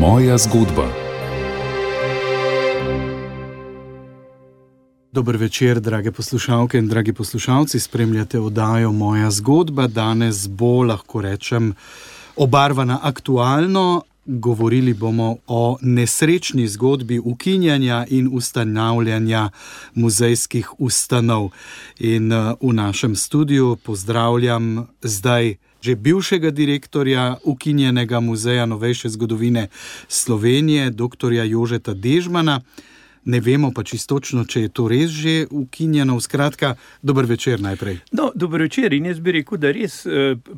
Moja zgodba. Dober večer, drage poslušalke in dragi poslušalci. Spremljate oddajo Moja zgodba. Danes bo, lahko rečem, obarvana aktualno. Govorili bomo o nesrečni zgodbi ukinjanja in ustanavljanja muzejskih ustanov. In v našem studiu pozdravljam zdaj že bivšega direktorja ukinjenega muzeja novejše zgodovine Slovenije, doktorja Jožeta Dežmana. Ne vemo pa čistočno, če je to res že ukinjeno. Skratka, dober večer najprej. No, dober večer in jaz bi rekel, da res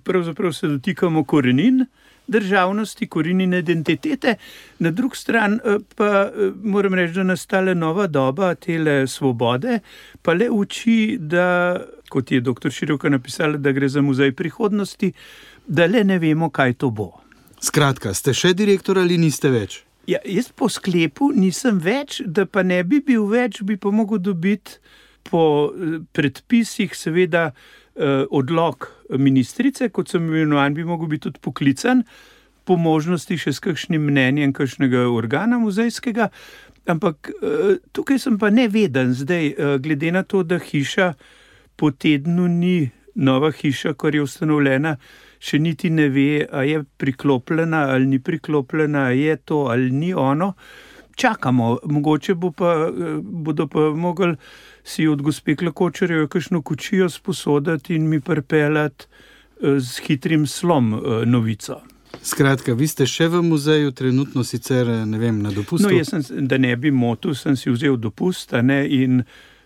pravzaprav se dotikamo korenin državnosti, korenin identitete. Na drugi strani pa moram reči, da nastala nova doba tele svobode, pa le uči, da, kot je doktor Široka napisala, da gre za muzej prihodnosti, da le ne vemo, kaj to bo. Skratka, ste še direktor ali niste več? Ja, jaz po sklepu nisem več, da pa ne bi bil več, bi pa mogel dobiti po predpisih seveda odlok ministrice, kot sem imenovan, bi mogel biti tudi poklican, po možnosti še s kakšnim mnenjem kakšnega organa muzejskega, ampak tukaj sem pa neveden zdaj, glede na to, da hiša po tednu ni nova hiša, kar je ustanovljena, še niti ne ve, a je priklopljena ali ni priklopljena, a je to ali ni ono. Čakamo, mogoče bodo pa mogli si od gospe Klakočarjeve kakšno kočijo sposoditi in mi pripeljati z hitrim slom novico. Skratka, vi ste še v muzeju, trenutno sicer, ne vem, na dopustu? No, jaz da ne bi motil, sem si vzel dopust, in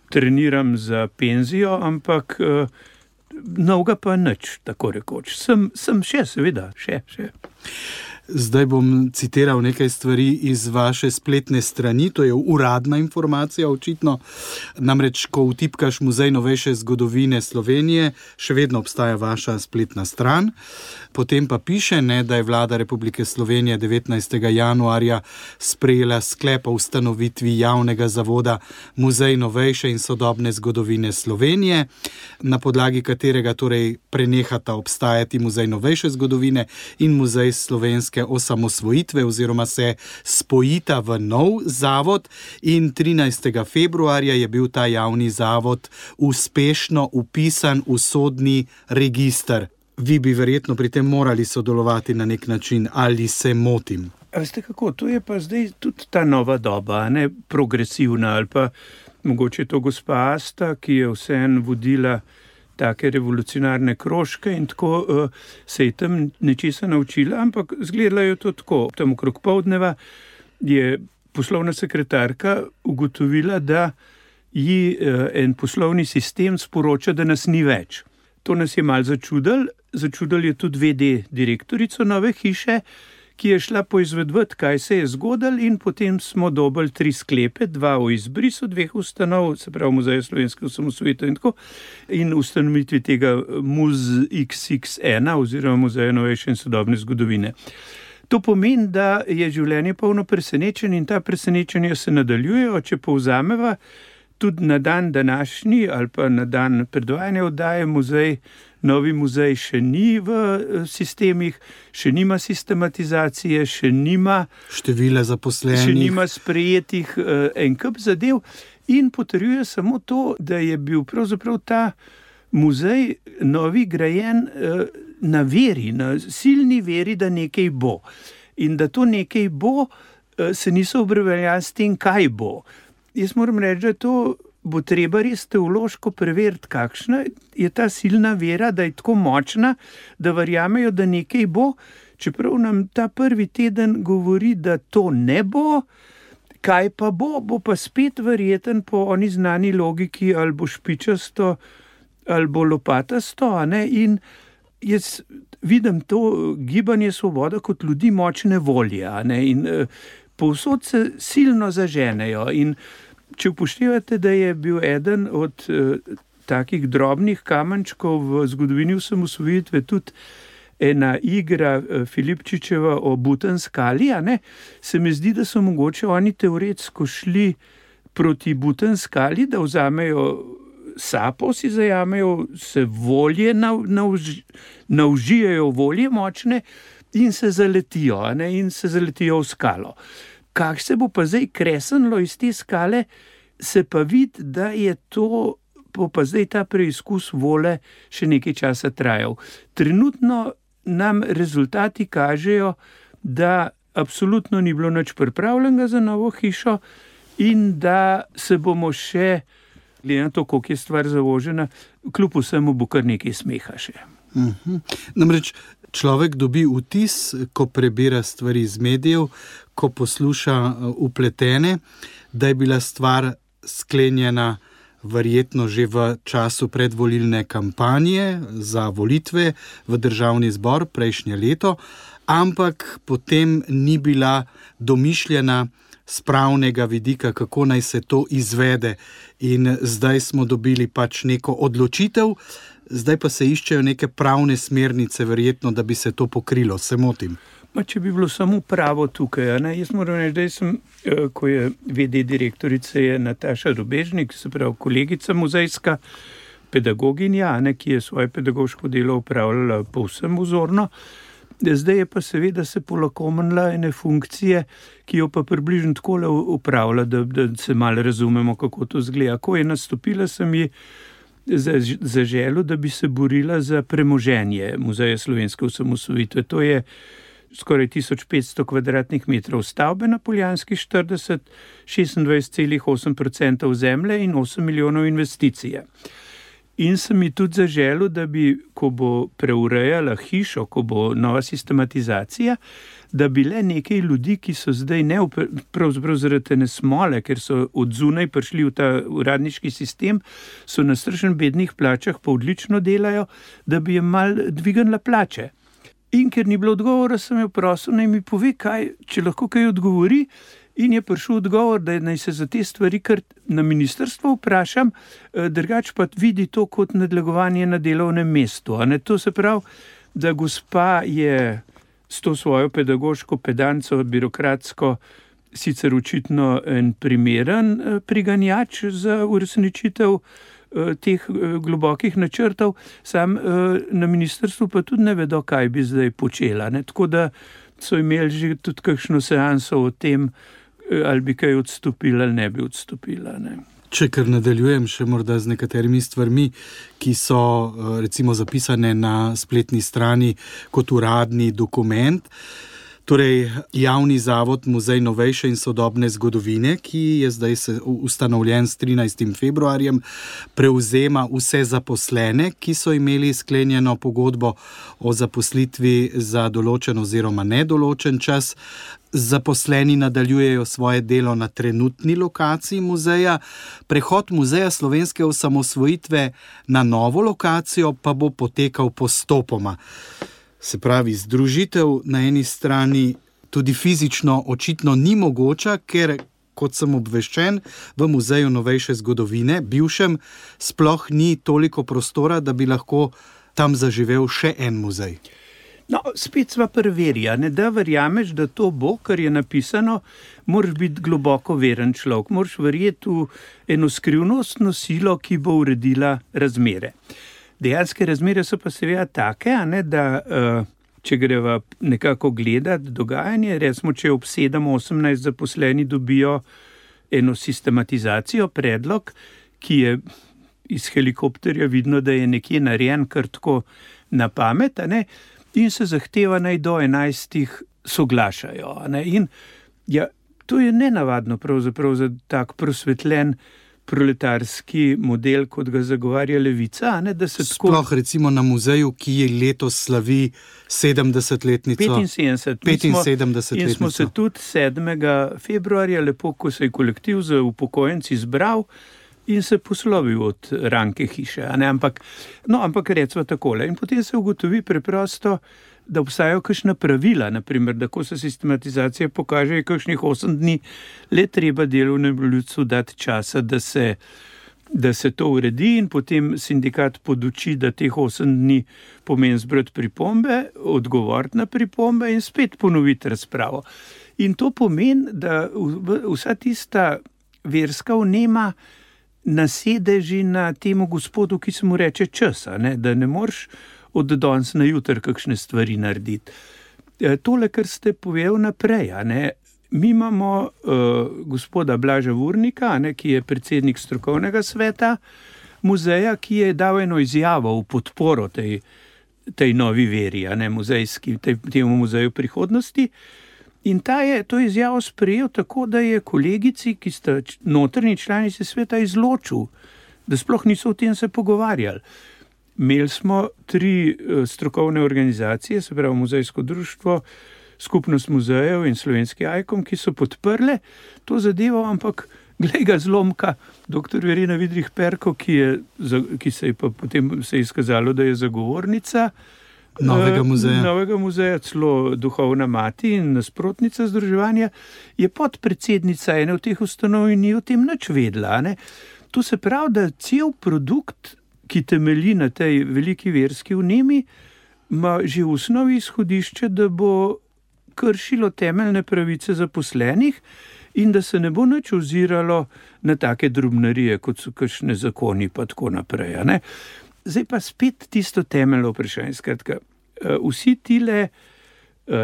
treniram za penzijo, ampak novega pa nič, tako rekoč. Sem še, seveda, še. Zdaj bom citiral nekaj stvari iz vaše spletne strani, to je uradna informacija očitno. Namreč, ko vtipkaš Muzej novejše zgodovine Slovenije, še vedno obstaja vaša spletna stran. Potem pa piše, da je Vlada Republike Slovenije 19. januarja sprejela sklep o ustanovitvi javnega zavoda Muzej novejše in sodobne zgodovine Slovenije, na podlagi katerega torej prenehata obstajati Muzej novejše zgodovine in Muzej slovenske osamosvojitve oziroma se spojita v nov zavod, in 13. februarja je bil ta javni zavod uspešno vpisan v sodni register. Vi bi verjetno pri tem morali sodelovati na nek način, ali se motim? A veste kako, to je pa zdaj tudi ta nova doba, ne progresivna, ali pa mogoče to gospa Asta, ki je vseeno vodila take revolucionarne krožke in tako se je tam nečesa naučila, ampak zgledala je to tako. Tam okrog poldneva je poslovna sekretarka ugotovila, da ji en poslovni sistem sporoča, da nas ni več. To nas je malo začudil je tudi VD direktorico nove hiše, ki je šla poizvedvati, kaj se je zgodilo, in potem smo dobili 3 sklepe, 2 o izbrisu 2 ustanov, se pravi Muzeja slovenske osamosvojitve in tako, in ustanovitvi tega MUZ-XX1 oziroma Muzeja novejše in sodobne zgodovine. To pomeni, da je življenje polno presenečenj in ta presenečenja se nadaljujejo, če povzameva tudi na dan današnji ali pa na dan predvajanja oddaje novi muzej še ni v sistemih, še nima sistematizacije, še nima števila zaposlenih, še nima sprejetih en kup zadev in potrjuje samo to, da je bil pravzaprav ta muzej novi grajen na veri, na silni veri, da nekaj bo. In da to nekaj bo, se niso obreveljali s tem, kaj bo. Jaz moram reči, da to bo treba res teološko preveriti, kakšna je ta silna vera, da je tako močna, da verjamejo, da nekaj bo, čeprav nam ta prvi teden govori, da to ne bo, kaj pa bo pa spet verjeten po oni znani logiki, ali bo špičasto, ali bo lopatasto, in jaz vidim to gibanje Svoboda kot ljudi močne volje, in povsod se silno zaženejo. In če upoštevate, da je bil eden od takih drobnih kamenčkov v zgodovini osamosvojitve tudi ena igra Filipčičeva o Butanskali, se mi zdi, da so mogoče oni teoretsko šli proti Butanskali, da vzamejo sapo, si zajamejo, se volje naužijajo volje močne, in se zaletijo, in se zaletijo v skalo. Kak se bo pa zdaj kresenilo iz te skale, se pa vidi, da je to, bo pa zdaj ta preizkus vole še nekaj časa trajal. Trenutno nam rezultati kažejo, da absolutno ni bilo nič pripravljenega za novo hišo in da se bomo še, glede na to, koliko je stvar zavožena, kljub vsemu bo kar nekaj smeha še. Namreč človek dobi vtis, ko prebira stvari iz medijev, ko posluša vpletene, da je bila stvar sklenjena verjetno že v času predvolilne kampanje za volitve v državni zbor prejšnje leto, ampak potem ni bila domišljena z pravnega vidika, kako naj se to izvede. In zdaj smo dobili pač neko odločitev, zdaj pa se iščejo neke pravne smernice, verjetno, da bi se to pokrilo. Se motim? Če bi bilo samo pravo tukaj, jaz moram reči, da sem, ko je VD direktorice je Nataša Rubežnik, se pravi kolegica muzejska, pedagoginja, ki je svoje pedagoško delo upravljala povsem vzorno. Zdaj je pa seveda se polakomenila ene funkcije, ki jo pa približno takole upravlja, da se malo razumemo, kako to izgleda. Ko je nastopila, sem ji zaželel, da bi se borila za premoženje Muzeja slovenske osamosvojitve. To je skoraj 1500 kvadratnih metrov stavbe na Poljanski 40, 26,8% zemlje in 8 milijonov investicije. In sem mi tudi zaželel, da bi, ko bo preurejala hišo, ko bo nova sistematizacija, da bi le nekaj ljudi, ki so zdaj pravzaprav zaradi ene smole, ker so od zunaj prišli v ta uradniški sistem, so na strašno bednih plačah, pa odlično delajo, da bi jim malo dvignila plače. In ker ni bilo odgovora, sem jo prosil, naj mi pove, če lahko kaj odgovori, in je prišel odgovor, da naj se za te stvari kar na ministrstvo vprašam, drugače pa vidi to kot nadlegovanje na delovnem mestu. To se pravi, da gospa je s to svojo pedagoško pedanco, birokratsko, sicer očitno en primeren priganjač za uresničitev teh globokih načrtov, sam na ministrstvu pa tudi ne vedo, kaj bi zdaj počela. Tako da so imeli že tudi kakšno seanso o tem, ali bi kaj odstopila ali ne bi odstopila. Če kar nadaljujem še morda z nekaterimi stvarmi, ki so recimo zapisane na spletni strani kot uradni dokument. Torej, javni zavod Muzej novejše in sodobne zgodovine, ki je zdaj ustanovljen s 13. februarjem, prevzema vse zaposlene, ki so imeli sklenjeno pogodbo o zaposlitvi za določen oziroma nedoločen čas. Zaposleni nadaljujejo svoje delo na trenutni lokaciji muzeja. Prehod Muzeja slovenske osamosvojitve na novo lokacijo pa bo potekal postopoma. Se pravi, združitev na eni strani tudi fizično očitno ni mogoča, ker, kot sem obveščen, v Muzeju novejše zgodovine, bivšem, sploh ni toliko prostora, da bi lahko tam zaživel še en muzej. Spet sva preverja, da verjameš, da to bo, kar je napisano, moraš biti globoko veren človek, moraš verjeti v eno skrivnostno silo, ki bo uredila razmere. Dejanske razmere so pa seveda take, da če greva nekako gledati dogajanje, recimo, če ob 7-18 zaposleni dobijo eno sistematizacijo, predlog, ki je iz helikopterja vidno, da je nekje narejen kar tako na pamet, in se zahteva naj do 11 soglašajo. In to je nenavadno pravzaprav za tak prosvetljen proletarski model, kot ga zagovarja levica. Da se sploh recimo na muzeju, ki je letos slavi 70-letnico. 75-letnico. In smo se tudi 7. februarja, lepo, ko se je kolektiv za upokojenci zbral in se poslovil od ranke hiše. Ampak recimo takole. In potem se ugotovi preprosto, da obstajajo kakšna pravila, naprimer, da ko se sistematizacija pokaže, je kakšnih 8 dni, le treba delovnemu ljudstvu dati časa, da se to uredi, in potem sindikat poduči, da teh 8 dni pomeni zbrati pripombe, odgovoriti na pripombe in spet ponoviti razpravo. In to pomeni, da vsa tista verska vnema nasedeži na temu gospodu, ki se mu reče čas, da ne moreš od danes na jutri kakšne stvari narediti. tole, kar ste povedal naprej, mi imamo gospoda Blaža Vurnika, ki je predsednik strokovnega sveta muzeja, ki je dal eno izjavo v podporo tej novi veri, temu muzeju prihodnosti. In ta je to izjavo sprejel tako, da je kolegici, ki sta notrni članici sveta, izločil, da sploh niso o tem se pogovarjali. Imeli smo 3 strokovne organizacije, se pravi Muzejsko društvo, Skupnost muzejev in Slovenski Ajkom, ki so podprle to zadevo, ampak glej ga zlomka, dr. Verena Vidrih Perko, ki se je pa potem izkazalo, da je zagovornica novega muzeja, celo duhovna mati in nasprotnica združevanja, je podpredsednica ene od teh ustanov in ni o tem nič vedela. To se pravi, da cel produkt, ki temelji na tej veliki verski vnemi, ima že v osnovi izhodišče, da bo kršilo temeljne pravice zaposlenih in da se ne bo nič oziralo na take drobnarije, kot so kakšne zakoni pa tako naprej. Zdaj pa spet tisto temeljno vprašanje. Skratka, vsi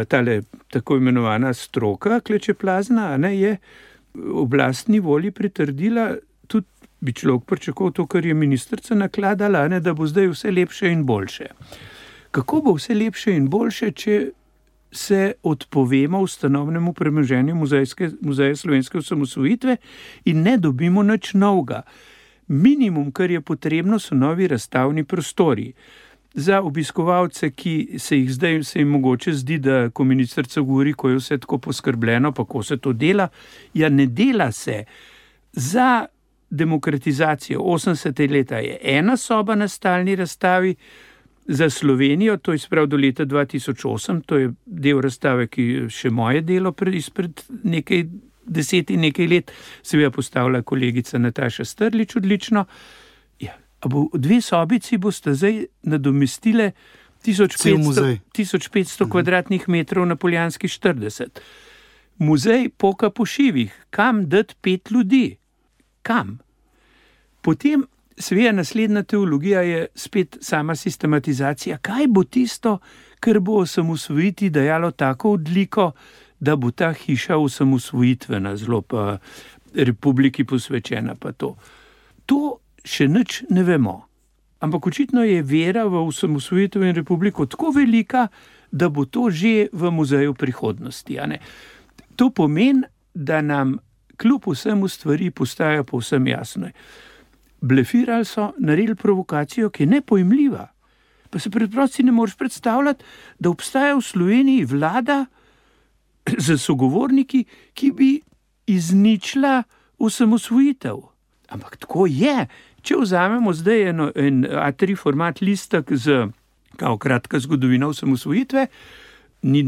tale tako imenovana stroka klečeplazna, je oblastni volji pritrdila, tudi bi človek pričakoval to, kar je ministrica nakladala, da bo zdaj vse lepše in boljše. Kako bo vse lepše in boljše, če se odpovemo ustanovnemu premoženju Muzeja slovenske osamosvojitve in ne dobimo nič novega? Minimum, kar je potrebno, so novi razstavni prostori. Za obiskovalce, ki se jim mogoče zdi, da ko ministrica govori, ko je vse tako poskrbljeno, pa ko se to dela, ne dela se. Za demokratizacijo 80. leta je ena soba na stalni razstavi, za Slovenijo, to je sprav do leta 2008, to je del razstave, ki še moje delo izpred nekaj 10 in nekaj let, seveda postavila kolegica Nataša Strlič odlično. A bo 2 sobici boste zdaj nadomestile 1500 kvadratnih metrov na Poljanski 40. Muzej poka po šivih. Kam dati 5 ljudi? Kam? Potem seveda naslednja teologija je spet sama sistematizacija. Kaj bo tisto, kar bo osamosvojiti dajalo tako odliko, da bo ta hiša osamosvojitvena, zelo pa republiki posvečena pa to. To še nič ne vemo. Ampak očitno je vera v osamosvojitev in republiko tako velika, da bo to že v muzeju prihodnosti. To pomeni, da nam kljub vsemu stvari postajajo povsem jasne. Blefirali so, naredili provokacijo, ki je nepojmljiva. Pa se preprosto ne moreš predstavljati, da obstaja v Sloveniji vlada z sogovorniki, ki bi izničila osamosvojitev. Ampak tako je. Če vzamemo zdaj en A3 format listek z kratka zgodovina osamosvojitve,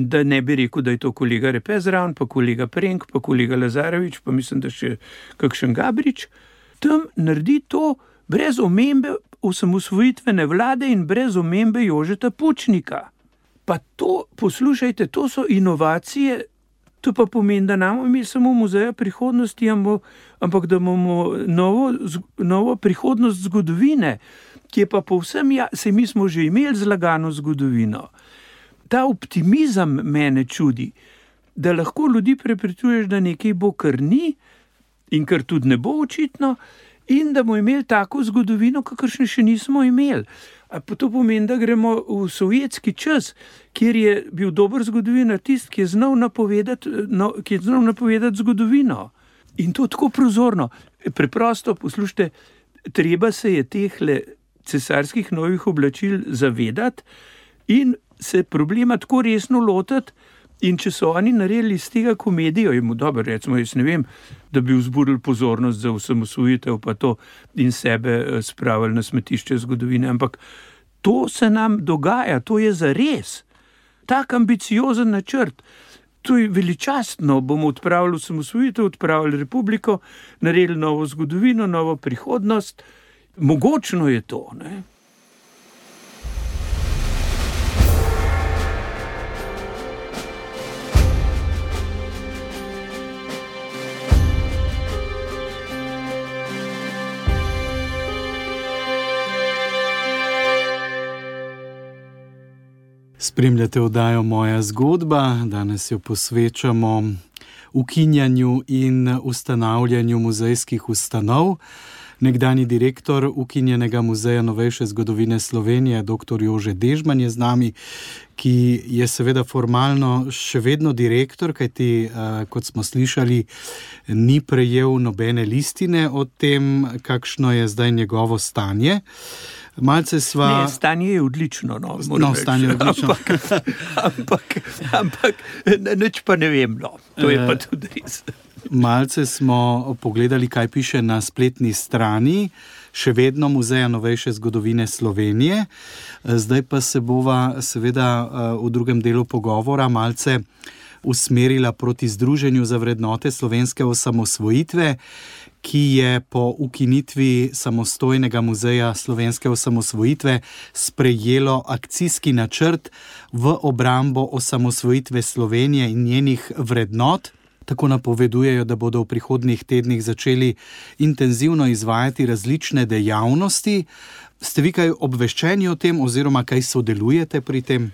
da ne bi rekel, da je to kolega Repez zraven, pa kolega Prenk, pa kolega Lazarevič, pa mislim, da še kakšen Gabrič, tam naredi to brez omembe osamosvojitvene vlade in brez omembe Jožeta Pučnika. Pa to, poslušajte, to so inovacije, to pa pomeni, da nam imeli samo muzeja prihodnosti, ampak da imamo novo prihodnost zgodovine, ki je pa povsem, saj mi smo že imeli zlagano zgodovino. Ta optimizem mene čudi, da lahko ljudi prepričuješ, da nekaj bo, kar ni in kar tudi ne bo očitno, in da bomo imeli tako zgodovino, kakršne še nismo imeli. A pa to pomeni, da gremo v sovjetski čas, kjer je bil dober zgodovinar tisti, ki je znal napovedati zgodovino. In to tako prozorno. Preprosto, poslušajte, treba se je tehle cesarskih novih oblačil zavedati in se problema tako resno lotiti. In če so oni naredili iz tega komedijo, dobro, recimo, jaz ne vem, da bi vzburili pozornost za osamosvojitev pa to in sebe spravili na smetišče zgodovine, ampak to se nam dogaja, to je zares. Tak ambiciozen načrt, to je veličastno, bomo odpravili osamosvojitev, odpravili republiko, naredili novo zgodovino, novo prihodnost. Mogočno je to, ne? Spremljate oddajo Moja zgodba, danes jo posvečamo ukinjanju in ustanavljanju muzejskih ustanov. Nekdanji direktor ukinjenega muzeja novejše zgodovine Slovenije, dr. Jože Dežman je z nami, ki je seveda formalno še vedno direktor, kajti, kot smo slišali, ni prejel nobene listine o tem, kakšno je zdaj njegovo stanje. Malce sva... Ne, stanje je odlično, stanje je odlično. Ampak nič pa ne vem, to je pa tudi res. Malce smo pogledali, kaj piše na spletni strani, še vedno Muzeja novejše zgodovine Slovenije. Zdaj pa se bova seveda v drugem delu pogovora malce usmerila proti Združenju za vrednote slovenske osamosvojitve, ki je po ukinitvi samostojnega muzeja slovenske osamosvojitve sprejelo akcijski načrt v obrambo osamosvojitve Slovenije in njenih vrednot. Tako napovedujejo, da bodo v prihodnjih tednih začeli intenzivno izvajati različne dejavnosti. Ste vi kaj obveščeni o tem oziroma kaj sodelujete pri tem?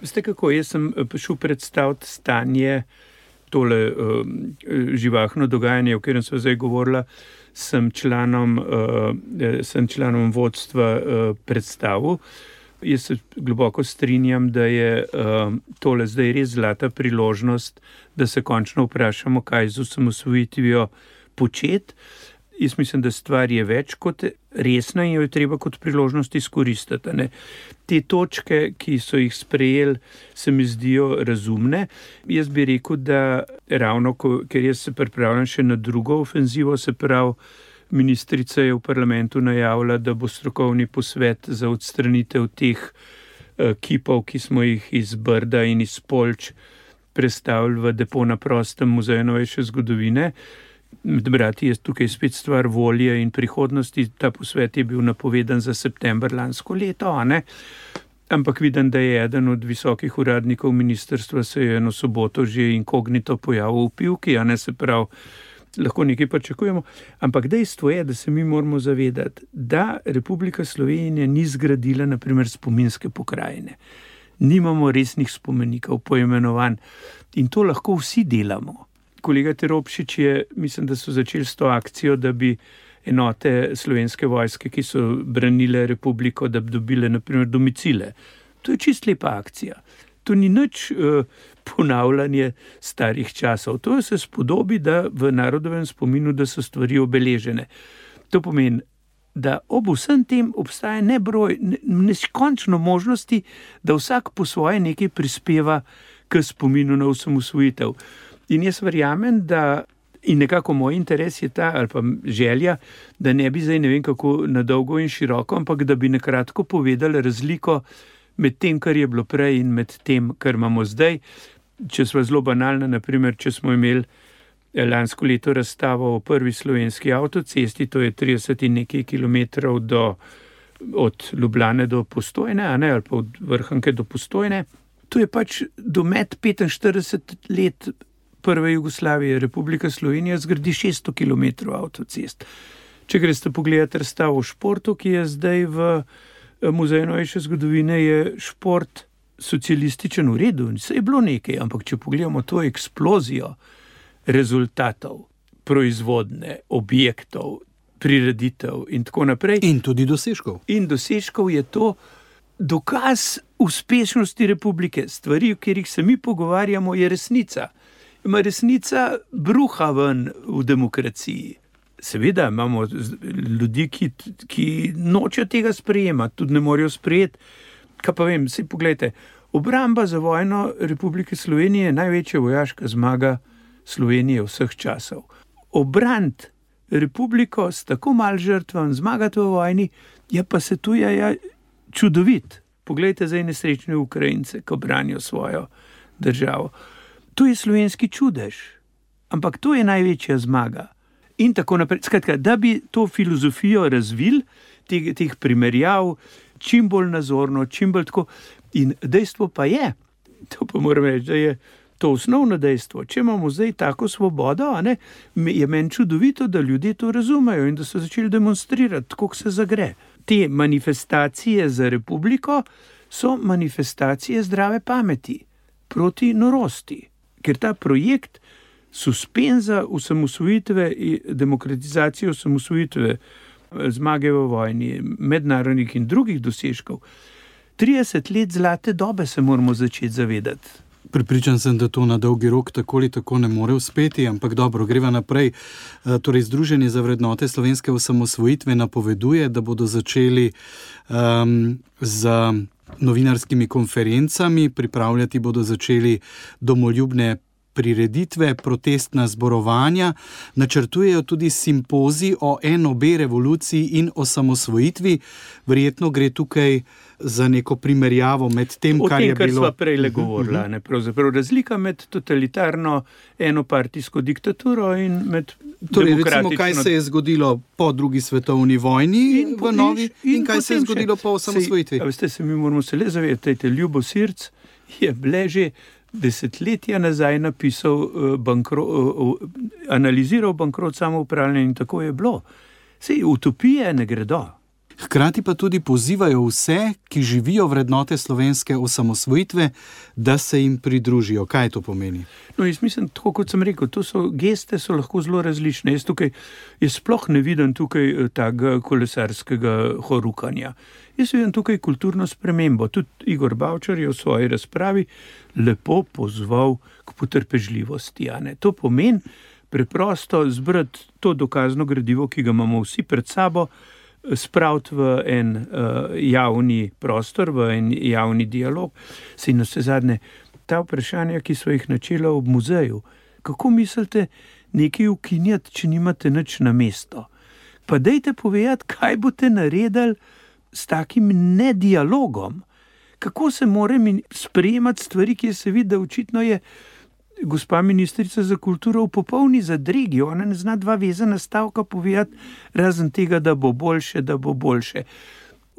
Veste kako, jaz sem šel predstaviti stanje, tole živahno dogajanje, o katerem sem zdaj govorila, sem članom vodstva predstavil. Jaz se globoko strinjam, da je tole zdaj res zlata priložnost, da se končno vprašamo, kaj z osamosvojitvijo početi. Jaz mislim, da stvar je več kot resna in jo je treba kot priložnost izkoristiti. Ne? Te točke, ki so jih sprejeli, se mi zdijo razumne. Jaz bi rekel, da ravno, ker jaz se pripravljam še na drugo ofenzivo, se pravi, ministrica je v parlamentu najavila, da bo strokovni posvet za odstranitev teh kipov, ki smo jih iz Brda in iz Poljč prestavili v depo na prostem Muzeju novejše zgodovine. Med brati je tukaj spet stvar volje in prihodnosti. Ta posvet je bil napovedan za september lansko leto, ampak vidim, da je eden od visokih uradnikov ministrstva se je eno soboto že inkognito pojavil v Pivki, se pravi, lahko nekaj pričakujemo, ampak dejstvo je, da se mi moramo zavedati, da Republika Slovenija ni zgradila na primer spominske pokrajine. Nimamo resnih spomenikov, poimenovanj in to lahko vsi delamo. Kolega Teropšič je, mislim, da so začeli s to akcijo, da bi enote slovenske vojske, ki so branile republiko, da bi dobile na primer domicile. To je čist lepa akcija. To ni nič ponavljanje starih časov. To se spodobi, da v narodovem spominu, da so stvari obeležene. To pomeni, da ob vsem tem obstaja neskončno možnosti, da vsak po svoje nekaj prispeva k spominu na osamosvojitev. In jaz verjamem, da in nekako moj interes je ta, ali pa želja, da ne bi zdaj ne vem kako na dolgo in široko, ampak da bi nakratko povedali razliko med tem, kar je bilo prej in med tem, kar imamo zdaj. Če smo zelo banalna, naprimer, če smo imeli lansko leto razstavo o prvi slovenski avtocesti, to je 30 in nekaj kilometrov od Ljubljane do Postojne, ali pa od Vrhunke do Postojne. To je pač domet 45 let prve Jugoslavije. Republika Slovenija zgradi 600 kilometrov avtocest. Če greste pogledati razstavo o športu, ki je zdaj v Muzeju novejše zgodovine, je šport socialističen v redu. Vse je bilo nekaj, ampak če pogledamo to eksplozijo rezultatov, proizvodne, objektov, prireditev in tako naprej. In tudi dosežkov. In dosežkov je to dokaz uspešnosti republike. Stvari, o katerih se mi pogovarjamo, je resnica. Ima resnica bruha ven v demokraciji. Seveda imamo ljudi, ki nočejo tega sprejemati, tudi ne morejo sprejeti. Kaj pa vem, saj poglejte, obramba za vojno Republike Slovenije je največja vojaška zmaga Slovenije vseh časov. Obrant republiko s tako malo žrtvam, zmagati v vojni, je pa se tu čudovit. Poglejte zdaj nesrečne Ukrajince, ko branijo svojo državo. To je slovenski čudež, ampak to je največja zmaga. In tako naprej. Skratka, da bi to filozofijo razvili, teh primerjav, čim bolj nazorno, čim bolj tako. In dejstvo pa je, to pa moram reči, da je to osnovno dejstvo. Če imamo zdaj tako svobodo, je meni čudovito, da ljudje to razumejo in da so začeli demonstrirati, kako se zagre. Te manifestacije za republiko so manifestacije zdrave pameti proti norosti. Ker ta projekt suspenza osamosvojitve, demokratizacije osamosvojitve, zmage v vojni, mednarodnih in drugih dosežkov, 30 let zlate dobe se moramo začeti zavedati. Prepričan sem, da to na dolgi rok tako ali tako ne more uspeti, ampak dobro, greva naprej. Torej, Združenje za vrednote slovenske osamosvojitve napoveduje, da bodo začeli z novinarskimi konferencami, pripravljati bodo začeli domoljubne prireditve, protestna zborovanja, načrtujejo tudi simpozij o NOB revoluciji in osamosvojitvi. Verjetno gre tukaj za neko primerjavo med tem, kar je bilo... O tem, kar sva prej govorila. Pravzaprav razlika med totalitarno enopartijsko diktaturo in med torej, recimo, kaj se je zgodilo po drugi svetovni vojni in kaj se je zgodilo po osamosvojitvi. Veste, mi moramo se le zavedati, Ljubo Sirc je že desetletja nazaj napisal, analiziral bankrot samoupravljanja in tako je bilo. Sej utopije ne gredo. Hkrati pa tudi pozivajo vse, ki živijo vrednote slovenske osamosvojitve, da se jim pridružijo. Kaj to pomeni? No, jaz mislim, tako kot sem rekel, geste so lahko zelo različne. Jaz sploh ne vidim tukaj tega kolesarskega horukanja. Jaz vidim tukaj kulturno spremembo. Tudi Igor Bavčar je v svoji razpravi lepo pozval k potrpežljivosti. To pomeni preprosto zbrati to dokazno gradivo, ki ga imamo vsi pred sabo, spraviti v en javni prostor, v en javni dialog. Saj na vse zadnje, ta vprašanja, ki so jih načela ob muzeju, kako mislite nekaj ukinjati, če nimate nič na mesto? Pa dajte povedati, kaj boste naredili s takim nedialogom. Kako se more sprejemati stvari, ki se vidi, da očitno je gospa ministrica za kulturo v popolni zadregi. Ona ne zna dva vezana stavka povedati, razen tega, da bo boljše, da bo boljše.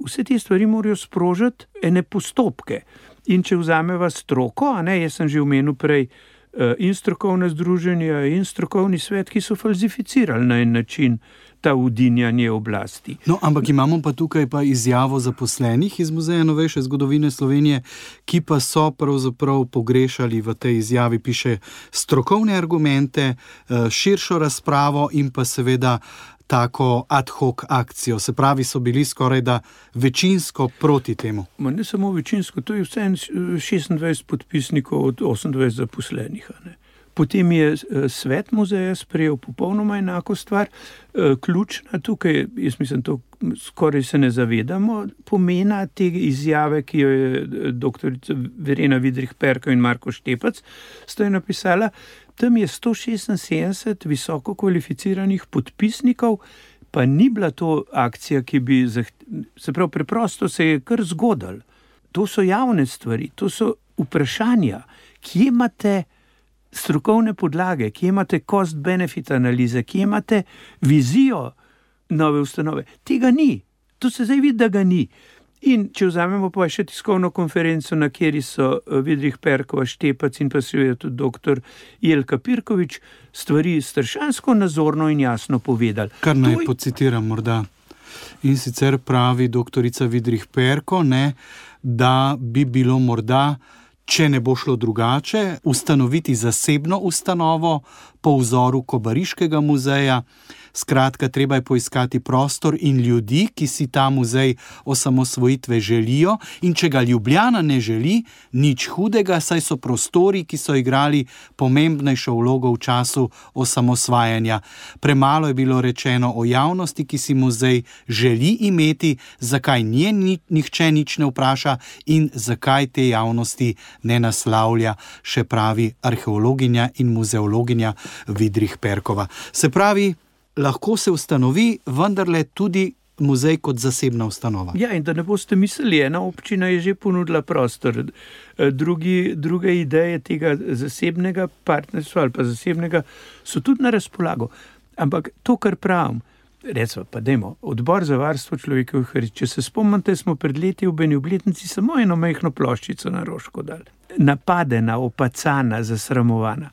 Vse te stvari morajo sprožiti ene postopke. In če vzameva stroko, jaz sem že omenil prej, in strokovne združenja in strokovni svet, ki so falsificirali na en način ta udinjanje oblasti. No, ampak imamo pa tukaj izjavo zaposlenih iz Muzeja novejše zgodovine Slovenije, ki pa so pravzaprav pogrešali v tej izjavi, piše, strokovne argumente, širšo razpravo in pa seveda tako ad hoc akcijo. Se pravi, so bili skoraj da večinsko proti temu. Ne samo večinsko, to je vse 26 podpisnikov od 28 zaposlenih. Potem je svet muzeja sprejel popolnoma enako stvar. Ključna tukaj, jaz mislim, to skoraj se ne zavedamo, pomena te izjave, ki jo je doktorica Verena Vidrih-Perko in Marko Štepac sta jo napisala. Tam je 176 visoko kvalificiranih podpisnikov, pa ni bila to akcija, ki bi se pravi, preprosto se je kar zgodilo. To so javne stvari, to so vprašanja, kje imate strokovne podlage, kje imate cost-benefit analize, kje imate vizijo nove ustanove. Tega ni. To se zdaj vidi, da ga ni. In če vzamemo pa še tiskovno konferenco, na kjeri so Vidrih-Perkova, Štepac in pa seveda tudi doktor Jelka Pirkovič stvari strašansko nazorno in jasno povedali. Kar naj pocitiram morda. In sicer pravi doktorica Vidrih-Perko, da bi bilo morda, če ne bo šlo drugače, ustanoviti zasebno ustanovo po vzoru Kobariškega muzeja. Skratka, treba je poiskati prostor in ljudi, ki si ta muzej osamosvojitve želijo, in če ga Ljubljana ne želi, nič hudega, saj so prostori, ki so igrali pomembnejšo vlogo v času osamosvajanja. Premalo je bilo rečeno o javnosti, ki si muzej želi imeti, zakaj nihče nič ne vpraša in zakaj te javnosti ne naslavlja, še pravi arheologinja in muzeologinja Vidrih-Perkova. Se pravi, lahko se ustanovi vendarle tudi muzej kot zasebna ustanova. Ja, in da ne boste mislili, ena občina je že ponudila prostor. Druge ideje tega zasebnega partnerstva ali pa zasebnega so tudi na razpolago. Ampak to, kar pravim, recimo pa dajmo, Odbor za varstvo človekovih pravic. Če se spomnite, smo pred leti v eni obletnici samo eno majhno ploščico na Roško dali. Napadena, opacana, zasramovana.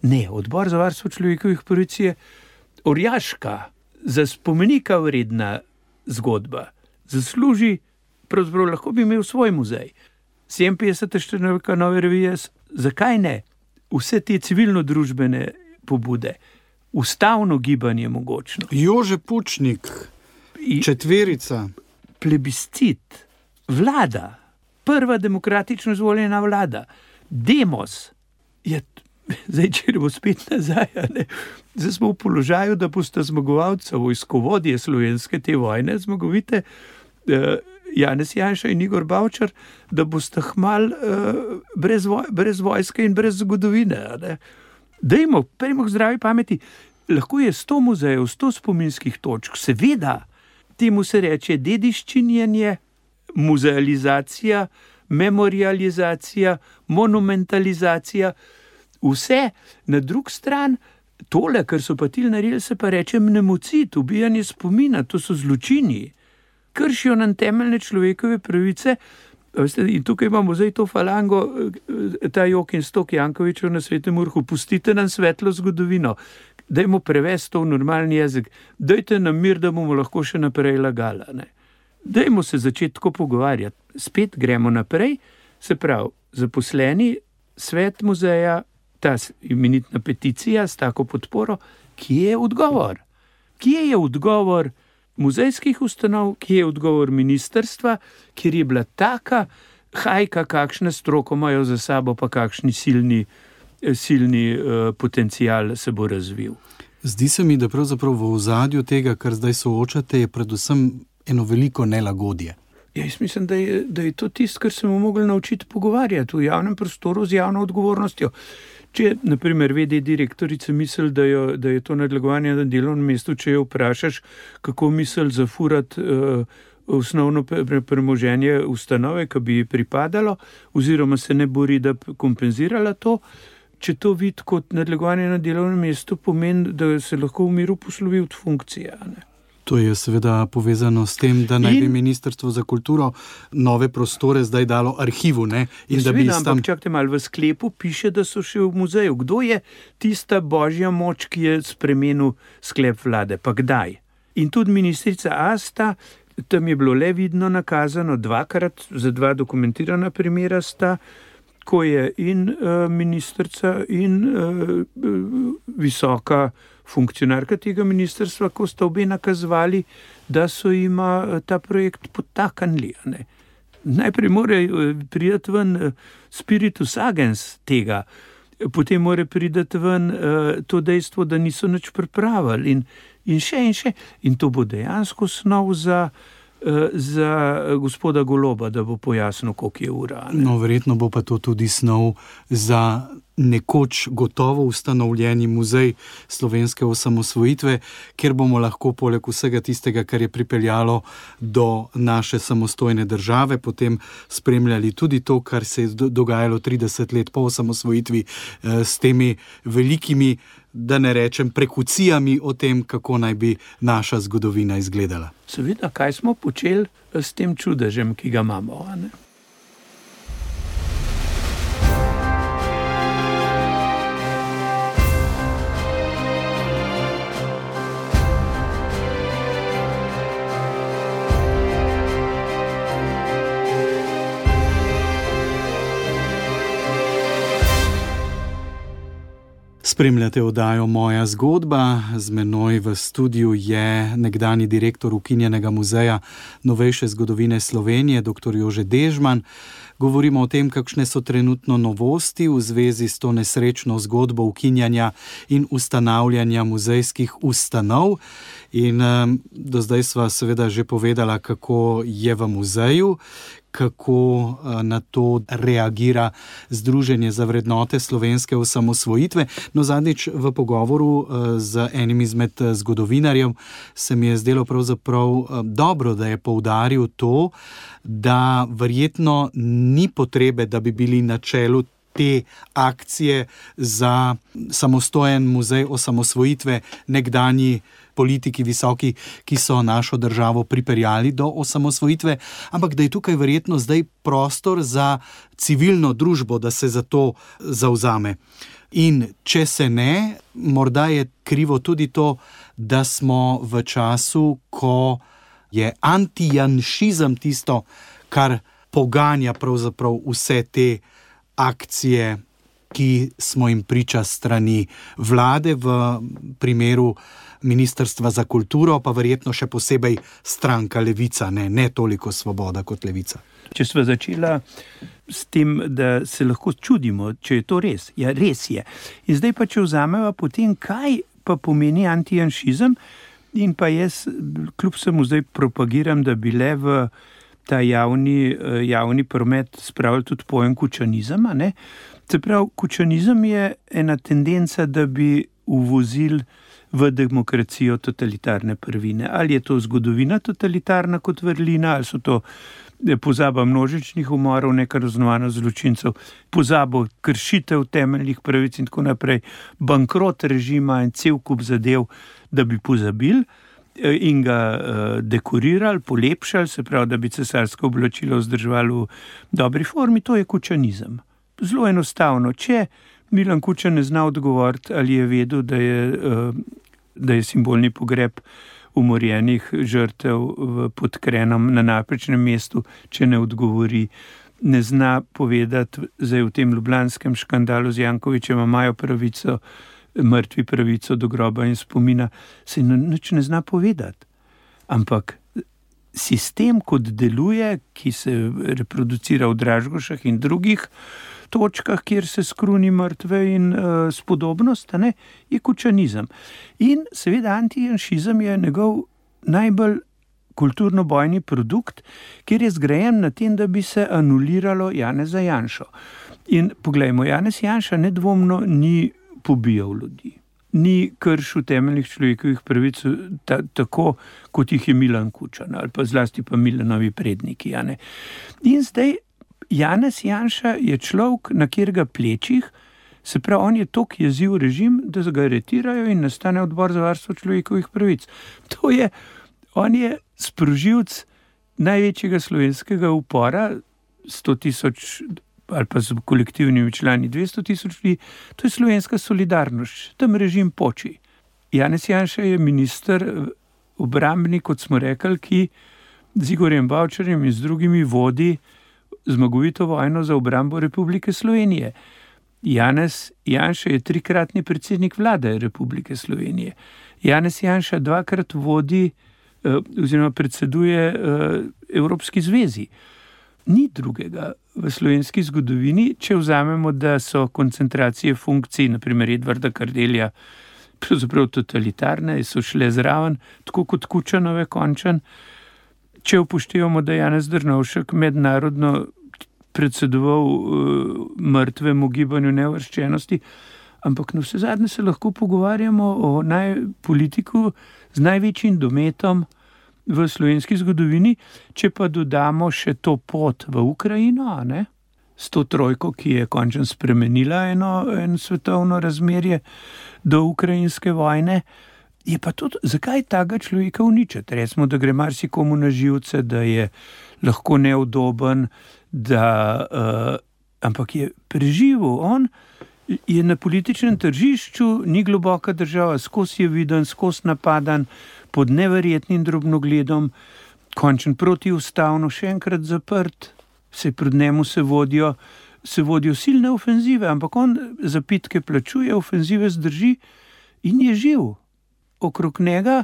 Ne, Odbor za varstvo človekovih pravic je orjaška, za spomenika vredna zgodba. Zasluži pravzaprav lahko bi imel svoj muzej. 57. številka Nove revije, zakaj ne? Vse te civilno-družbene pobude, ustavno gibanje mogočno. Jože Pučnik, četverica. Plebiscit, vlada, prva demokratično izvoljena vlada, demos. Zdaj, če bo spet nazaj, zdaj smo v položaju, da boste zmagovalca, vojskovodje slovenske te vojne, zmagovite, Janez Janša in Igor Bavčar, da boste hmal brez vojske in brez zgodovine. Dajmo, prejmo k zdravi pameti, lahko je 100 muzejev, 100 spominskih točk, seveda, temu se reče dediščinjenje, muzealizacija, memorializacija, monumentalizacija, vse. Na drug stran, tole, kar so pa ti naredili, se pa reče mnemocid, ubijanje spomina, to so zločini. Kršijo nam temeljne človekove pravice. In tukaj imamo zdaj to falango, ta jok in stok Jankovičev na Svetem Urhu, pustite nam svetlo zgodovino, dajmo prevesti to v normalni jezik, dajte nam mir, da bomo lahko še naprej lagala. Dajmo se začeti tako pogovarjati. Spet gremo naprej, se pravi, zaposleni, svet muzeja, ta imenitna peticija s tako podporo, kje je odgovor? Kje je odgovor muzejskih ustanov, kje je odgovor ministrstva, kjer je bila taka hajka, kakšne stroko imajo za sabo, pa kakšni silni potencial se bo razvil. Zdi se mi, da pravzaprav v ozadju tega, kar zdaj soočate, je predvsem eno veliko nelagodje. Jaz mislim, da je to tisto, kar se bomo mogli naučiti pogovarjati v javnem prostoru z javno odgovornostjo. Če, na primer, v.d. direktorica misli, da je to nadlegovanje na delovnem mestu, če jo vprašaš, kako misli zafurati osnovno premoženje ustanove, ki bi ji pripadalo, oziroma se ne bori, da kompenzirala to, če to vidi kot nadlegovanje na delovnem mestu, pomeni, da se lahko v miru poslovi od funkcije. To je seveda povezano s tem, da naj bi Ministrstvo za kulturo nove prostore zdaj dalo arhivu. Ampak čakajte malo, v sklepu piše, da so še v muzeju. Kdo je tista božja moč, ki je spremenil sklep vlade? Pa kdaj? In tudi ministrica Asta, tam je bilo le vidno nakazano dvakrat, za 2 dokumentirana primera sta, ko je in ministrica in visoka funkcionarka tega ministrstva, ko sta obe nakazovali, da so jima ta projekt podtaknili. Najprej mora priti ven spiritus agens tega, potem mora priti ven to dejstvo, da niso nič pripravili in še. In to bo dejansko snov za gospoda Goloba, da bo pojasnil, koliko je ura. No, verjetno bo pa to tudi snov za nekoč gotovo ustanovljeni muzej slovenske osamosvojitve, kjer bomo lahko poleg vsega tistega, kar je pripeljalo do naše samostojne države, potem spremljali tudi to, kar se je dogajalo 30 let po osamosvojitvi s temi velikimi, da ne rečem, prekucijami o tem, kako naj bi naša zgodovina izgledala. Seveda, kaj smo počeli s tem čudežem, ki ga imamo, ne? Spremljate oddajo Moja zgodba. Z menoj v studiu je nekdanji direktor ukinjenega muzeja novejše zgodovine Slovenije, dr. Jože Dežman. Govorimo o tem, kakšne so trenutno novosti v zvezi s to nesrečno zgodbo ukinjanja in ustanavljanja muzejskih ustanov. In do zdaj sva seveda že povedala, kako je v muzeju, kako na to reagira Združenje za vrednote slovenske osamosvojitve. No, zadnjič v pogovoru z enim izmed zgodovinarjev se mi je zdelo pravzaprav dobro, da je poudaril to, da verjetno ni potrebe, da bi bili na čelu te akcije za samostojen muzej osamosvojitve nekdanji politiki visoki, ki so našo državo pripeljali do osamosvojitve, ampak da je tukaj verjetno zdaj prostor za civilno družbo, da se za to zavzame. In če se ne, morda je krivo tudi to, da smo v času, ko je antijanšizem tisto, kar poganja pravzaprav vse te akcije, ki smo jim priča strani vlade, v primeru Ministrstva za kulturo, pa verjetno še posebej stranka Levica, ne toliko Svoboda kot Levica. Če sva začela s tem, da se lahko čudimo, če je to res. Ja, res je. In zdaj pa, če vzameva potem, kaj pa pomeni antijanšizem, in pa jaz kljub vsemu zdaj propagiram, da bi le v ta javni promet spravili tudi pojem kučanizma, ne? Se pravi, kučanizem je ena tendenca, da bi uvozili v demokracijo totalitarne prvine. Ali je to zgodovina totalitarna kot vrlina, ali so to pozaba množičnih umorov, nekaznovanost zločincev, pozabo kršitev temeljnih pravic in tako naprej, bankrot režima in cel kup zadev, da bi pozabili in ga dekorirali, polepšali, se pravi, da bi cesarsko oblačilo vzdrževali v dobri formi, to je kučanizem. Zelo enostavno. Če Milan Kučan ne zna odgovoriti, ali je vedel, da je simbolni pogreb umorjenih žrtev pod Krenom na napačnem mestu, če ne odgovori, ne zna povedati, zdaj v tem ljubljanskem škandalu z Jankovićem imajo pravico, mrtvi pravico do groba in spomina, se nič ne zna povedati. Ampak sistem, kot deluje, ki se reproducira v Dražgošah in drugih točkah, kjer se skruni mrtve in spodobnost, ne, je kučanizem. In seveda antijanšizem je njegov najbolj kulturno-bojni produkt, kjer je zgrajen na tem, da bi se anuliralo Janeza Janšo. In poglejmo, Janez Janša nedvomno ni pobijal ljudi, ni kršil temeljnih človekovih pravic tako, kot jih je Milan Kučan, ali pa zlasti pa Milanovi predniki. Ja, ne. In zdaj Janez Janša je človek, na katerega plečih, se pravi, on je tok jeziv režim, da ga aretirajo in nastane odbor za varstvo človekovih pravic. On je sprožilec največjega slovenskega upora, 100.000 ali pa z kolektivnimi člani 200.000 ljudi, to je slovenska solidarnost, tam režim poči. Janez Janša je minister obrambni, kot smo rekli, ki z Igorjem Bavčarjem in z drugimi vodi zmagovito vojno za obrambo Republike Slovenije. Janez Janša je 3-kratni predsednik vlade Republike Slovenije. Janez Janša 2-krat vodi oziroma predseduje Evropski zvezi. Ni drugega v slovenski zgodovini, če vzamemo, da so koncentracije funkcij, naprimer Edvarda Kardelja, pravzaprav totalitarne, so šle zraven, tako kot Kučanove končan. Če upoštevamo, da Janez Drnovšek mednarodno predsedoval mrtvemu gibanju neuvrščenosti, ampak na vse zadnje se lahko pogovarjamo o politiku z največjim dometom v slovenski zgodovini, če pa dodamo še to pot v Ukrajino, ne? S to trojko, ki je končno spremenila eno svetovno razmerje do ukrajinske vojne, je pa tudi, zakaj tega človeka uničiti? Recimo, da gre marsikomu na živce, da je lahko neudoben, ampak je preživel. On je na političnem tržišču, ni globoka država, skozi je viden, skozi napadan, pod neverjetnim drobnogledom, končen protiustavno, še enkrat zaprt, pred njemu se vodijo silne ofenzive, ampak on zapitke plačuje, ofenzive zdrži in je živ. Okrog njega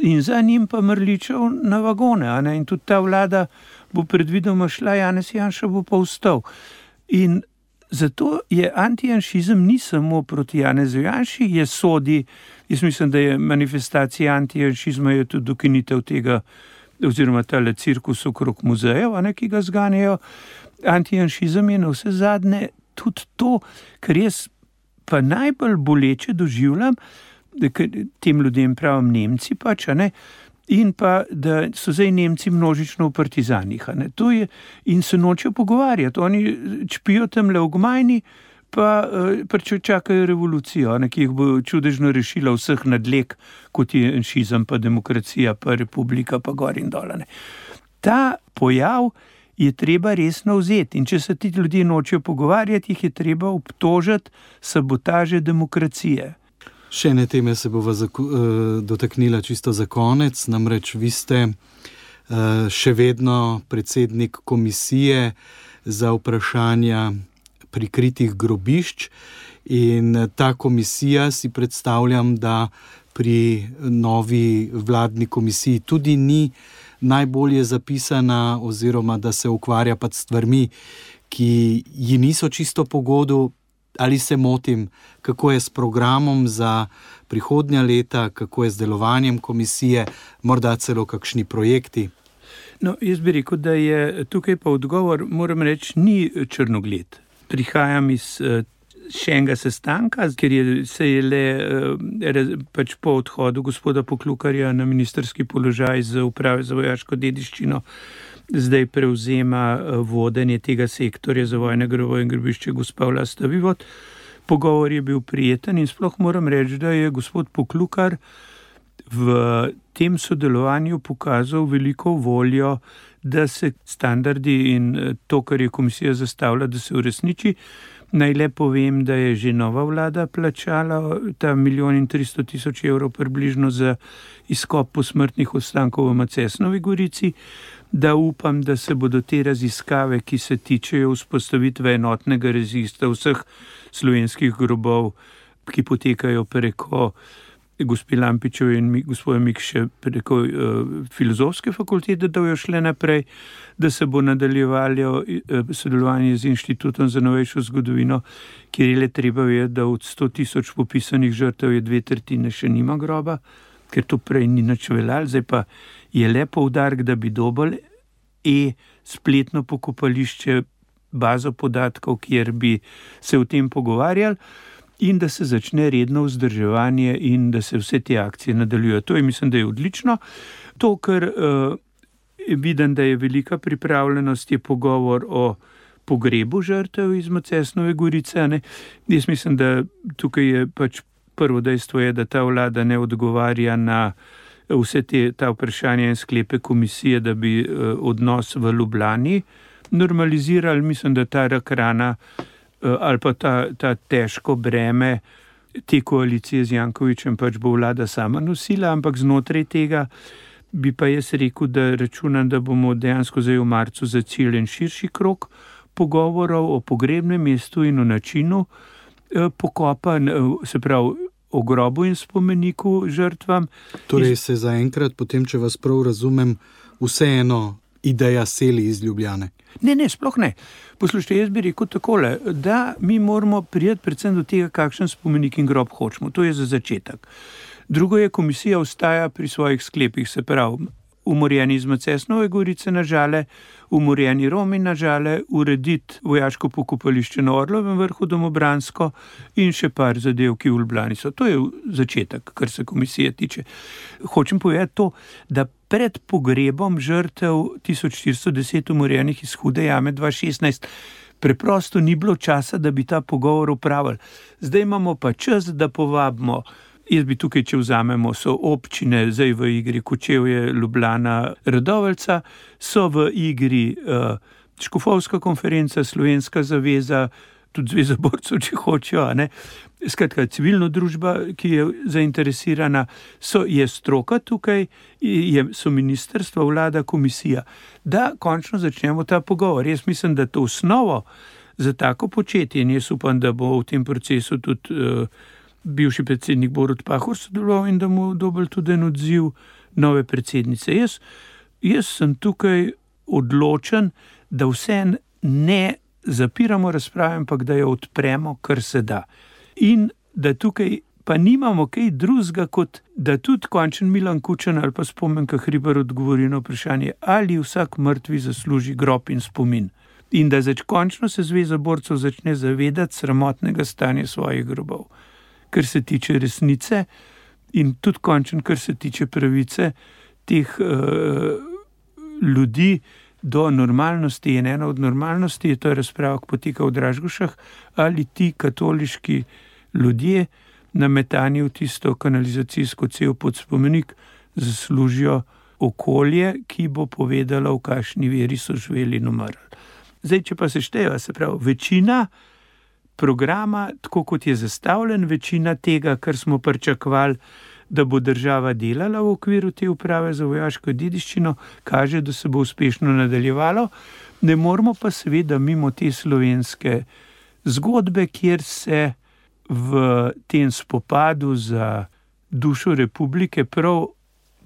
in za njim pa mrličev na vagone. In tudi ta vlada bo predvidoma šla, Janez Janša bo pa vstal. In zato je antijanšizem ni samo proti Janezu Janši, je sodi, jaz mislim, da je manifestacija antijanšizma je tudi dokinitev tega, oziroma tale cirkus okrog muzejev, ki ga zganjajo. Antijanšizem je na vse zadnje tudi to, kar jaz pa najbolj boleče doživljam, da tem ljudem pravim Nemci pač, in pa, da so zdaj Nemci množično v partizanih. In se nočejo pogovarjati. Oni čpijo tamle v Gmajni, pa čakajo revolucijo, ki jih bo čudežno rešila vseh nadlek, kot je janšizem, pa demokracija, pa republika, pa gor in dol. Ta pojav je treba resno vzeti. In če se ti ljudje nočejo pogovarjati, jih je treba obtožiti sabotaže demokracije. Še ene teme se bova dotaknila čisto za konec, namreč vi ste še vedno predsednik komisije za vprašanja prikritih grobišč. In ta komisija, si predstavljam, da pri novi vladni komisiji tudi ni najbolje zapisana, oziroma da se ukvarja pa s stvarmi, ki ji niso čisto po godu. Ali se motim, kako je s programom za prihodnja leta, kako je z delovanjem komisije, morda celo kakšni projekti? No, jaz bi rekel, da je tukaj pa odgovor, moram reči, ni črnogled. Prihajam iz še enega sestanka, ker se je le pač po odhodu gospoda Poklukarja na ministrski položaj z uprave za vojaško dediščino zdaj prevzema vodenje tega sektorja za vojne grobove in grobišče gospa Vlasta Vivot. Pogovor je bil prijeten in sploh moram reči, da je gospod Poklukar v tem sodelovanju pokazal veliko voljo, da se standardi in to, kar je komisija zastavila, da se uresniči. Naj le povem, da je že nova vlada plačala ta 1 300 000 evrov približno za izkop posmrtnih ostankov v Macesnovi Gorici, da upam, da se bodo te raziskave, ki se tičejo vzpostavitve enotnega registra vseh slovenskih grobov, ki potekajo preko gospe Lampičeve in gospoda Mikše preko filozofske fakultete, da bojo šle naprej, da se bo nadaljevalo sodelovanje z Inštitutom za novejšo zgodovino, kjer je le treba vedeti, da od 100 000 popisanih žrtev je 2/3 še nima groba, ker to prej ni nič veljalo. Zdaj pa je le poudarek, da bi dobili spletno pokopališče, bazo podatkov, kjer bi se o tem pogovarjali, in da se začne redno vzdrževanje in da se vse te akcije nadaljujejo. To je, mislim, da je odlično. To, kar vidim, da je velika pripravljenost, je pogovor o pogrebu žrtev iz Macesnove Gorice. Ne? Jaz mislim, da tukaj je pač prvo dejstvo je, da ta vlada ne odgovarja na vse ta vprašanja in sklepe komisije, da bi odnos v Ljubljani normalizirali. Mislim, da ta rak rana ali pa ta težko breme te koalicije z Jankovićem pač bo vlada sama nosila, ampak znotraj tega bi pa jaz rekel, da računam, da bomo dejansko zdaj v marcu zaciljeni širši krog pogovorov o pogrebnem mestu in o načinu pokopa, se pravi o grobu in spomeniku žrtvam. Torej se zaenkrat, potem, če vas prav razumem, vseeno ideja seli iz Ljubljane. Ne, sploh ne. Poslušajte, jaz bi rekel takole, da mi moramo prijeti predvsem do tega, kakšen spomenik in grob hočemo. To je za začetek. Drugo je, komisija ostaja pri svojih sklepih, se pravi, umorjeni iz Macesnove Gorice na Žale, umorjeni Romi na Žale, urediti vojaško pokopališče na Orlovem vrhu domobransko in še par zadev, ki v Ljubljani so. To je začetek, kar se komisije tiče. Hočem povedati to, da pred pogrebom žrtev 1410 umorjenih iz Hude jame 2016 preprosto ni bilo časa, da bi ta pogovor opravili. Zdaj imamo pa čas, da povabimo. Jaz bi tukaj, če vzamemo, so občine, zdaj v igri Kočevje, Ljubljana, Radovljica, so v igri Škofovska konferenca, Slovenska zaveza, tudi Zveza borcev, če hočejo, ne. Skratka, civilna družba, ki je zainteresirana, je stroka tukaj, so ministrstva, vlada, komisija, da končno začnemo ta pogovor. Jaz mislim, da to osnovo za tako početje, in jaz upam, da bo v tem procesu tudi bivši predsednik Borut Pahor sodeloval in da mu dobili tudi en odziv nove predsednice. Jaz sem tukaj odločen, da vse ne zapiramo razprave, ampak da jo odpremo, kar se da. In da tukaj pa nimamo kaj drugega, kot da tudi končen Milan Kučan ali pa Spomenka Hribar odgovori na vprašanje, ali vsak mrtvi zasluži grob in spomin. In da končno se Zveza borcev začne zavedati sramotnega stanja svojih grobov, kar se tiče resnice in tudi končen, kar se tiče pravice teh ljudi do normalnosti. In ena od normalnosti je to razprava, ki poteka v Dražgošah, ali ti katoliški ljudje nametani v tisto kanalizacijsko cev pod spomenik zaslužijo okolje, ki bo povedalo, v kakšni veri so živeli in umrli. Zdaj, če pa se šteje, se pravi, večina programa, tako kot je zastavljen, večina tega, kar smo pričakovali, da bo država delala v okviru te uprave za vojaško dediščino, kaže, da se bo uspešno nadaljevalo. Ne moramo pa seveda mimo te slovenske zgodbe, kjer se v tem spopadu za dušo republike prav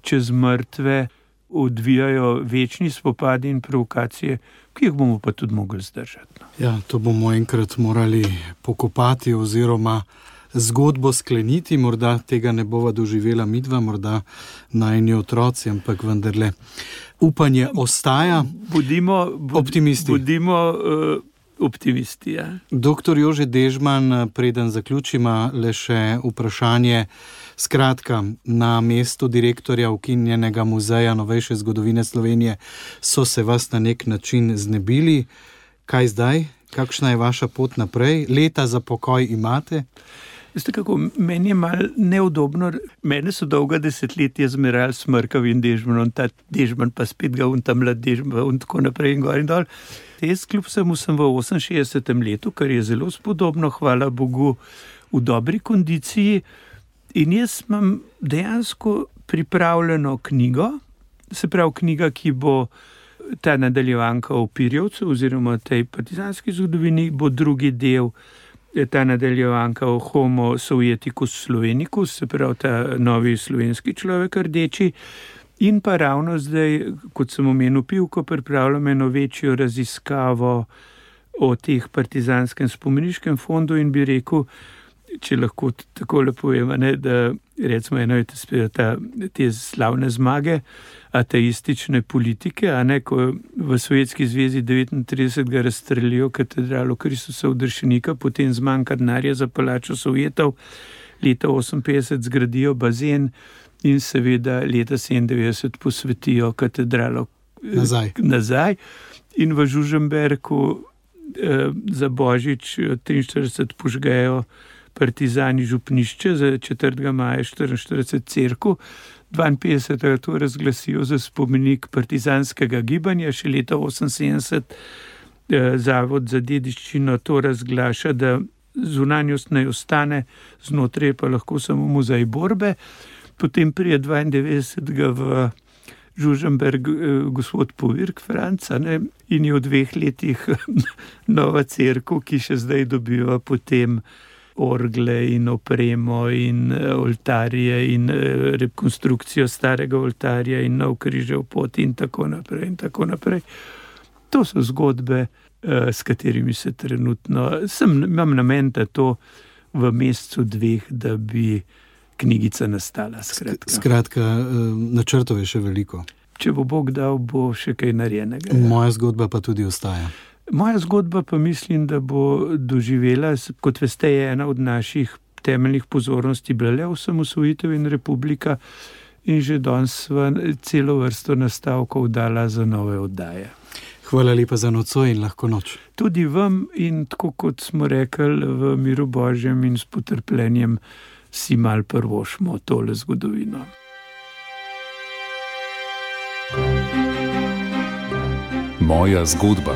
čez mrtve odvijajo večni spopadi in provokacije, ki jih bomo pa tudi mogli zdržati. Ja, to bomo enkrat morali pokopati oziroma zgodbo skleniti, morda tega ne bova doživela midva, morda najini otroci, ampak vendarle upanje ostaja. Bodimo optimisti. Optimisti, ja. Doktor Jože Dežman, preden zaključimo, le še vprašanje. Skratka, na mestu direktorja ukinjenega muzeja novejše zgodovine Slovenije so se vas na nek način znebili. Kaj zdaj? Kakšna je vaša pot naprej? Leta za pokoj imate? Veste kako, meni je malo neudobno. Mene so dolga desetletja zmerali s Mrkavim Dežmanom, ta Dežman pa spet ga ta mlad Dežman in tako naprej in gor in dol. Jaz kljub vsemu sem v 68. letu, kar je zelo spodobno, hvala Bogu, v dobri kondiciji. In jaz imam dejansko pripravljeno knjigo, se pravi knjiga, ki bo ta nadaljevanka o Pirjevcu oziroma tej partizanski zgodovini, bo drugi del ta nadaljevanka o Homo Sovjeticus Slovenicus, se pravi ta novi slovenski človek rdeči. In pa ravno zdaj, kot sem omenil Pivko, pripravljam eno večjo raziskavo o teh partizanskem spomeniškem fondu in bi rekel, če lahko tako lepo povem, da recimo eno je te slavne zmage ateistične politike, ko v Sovjetski zvezi 39. razstrelijo katedralo Kristusa Udršenika, potem zmanjka denarja za palačo Sovjetov, leta 58 zgradijo bazen in seveda leta 97 posvetijo katedralo nazaj. In v Žužemberku za Božič 43 požgejo partizani župnišče, za 4. maja 44 cerkev, 52. to razglasijo za spomenik partizanskega gibanja, še leta 78 Zavod za dediščino to razglaša, da zunanjost naj ostane, znotraj pa lahko samo muzej borbe. Potem prije 92. v Žužemberg gospod Povirk Franca in je v 2 letih nova cerkev, ki še zdaj dobiva potem orgle in opremo in oltarje in rekonstrukcijo starega oltarja in nov križev pot in tako naprej in tako naprej. To so zgodbe, s katerimi se trenutno, imam namen, da to v mesecu 2, da bi knjigica nastala. Skratka, načrtov je še veliko. Če bo Bog dal, bo še kaj narejenega. Moja zgodba pa tudi ostaja. Moja zgodba pa mislim, da bo doživela, kot veste, je ena od naših temeljnih pozornosti bila le osamosvojitev in republika in že danes sva celo vrsto nastavkov dala za nove oddaje. Hvala lepa za nocoj in lahko noč. Tudi vam in tako kot smo rekli, v miru Božjem in s potrpljenjem si mal prvošmo tole zgodovino. Moja zgodba.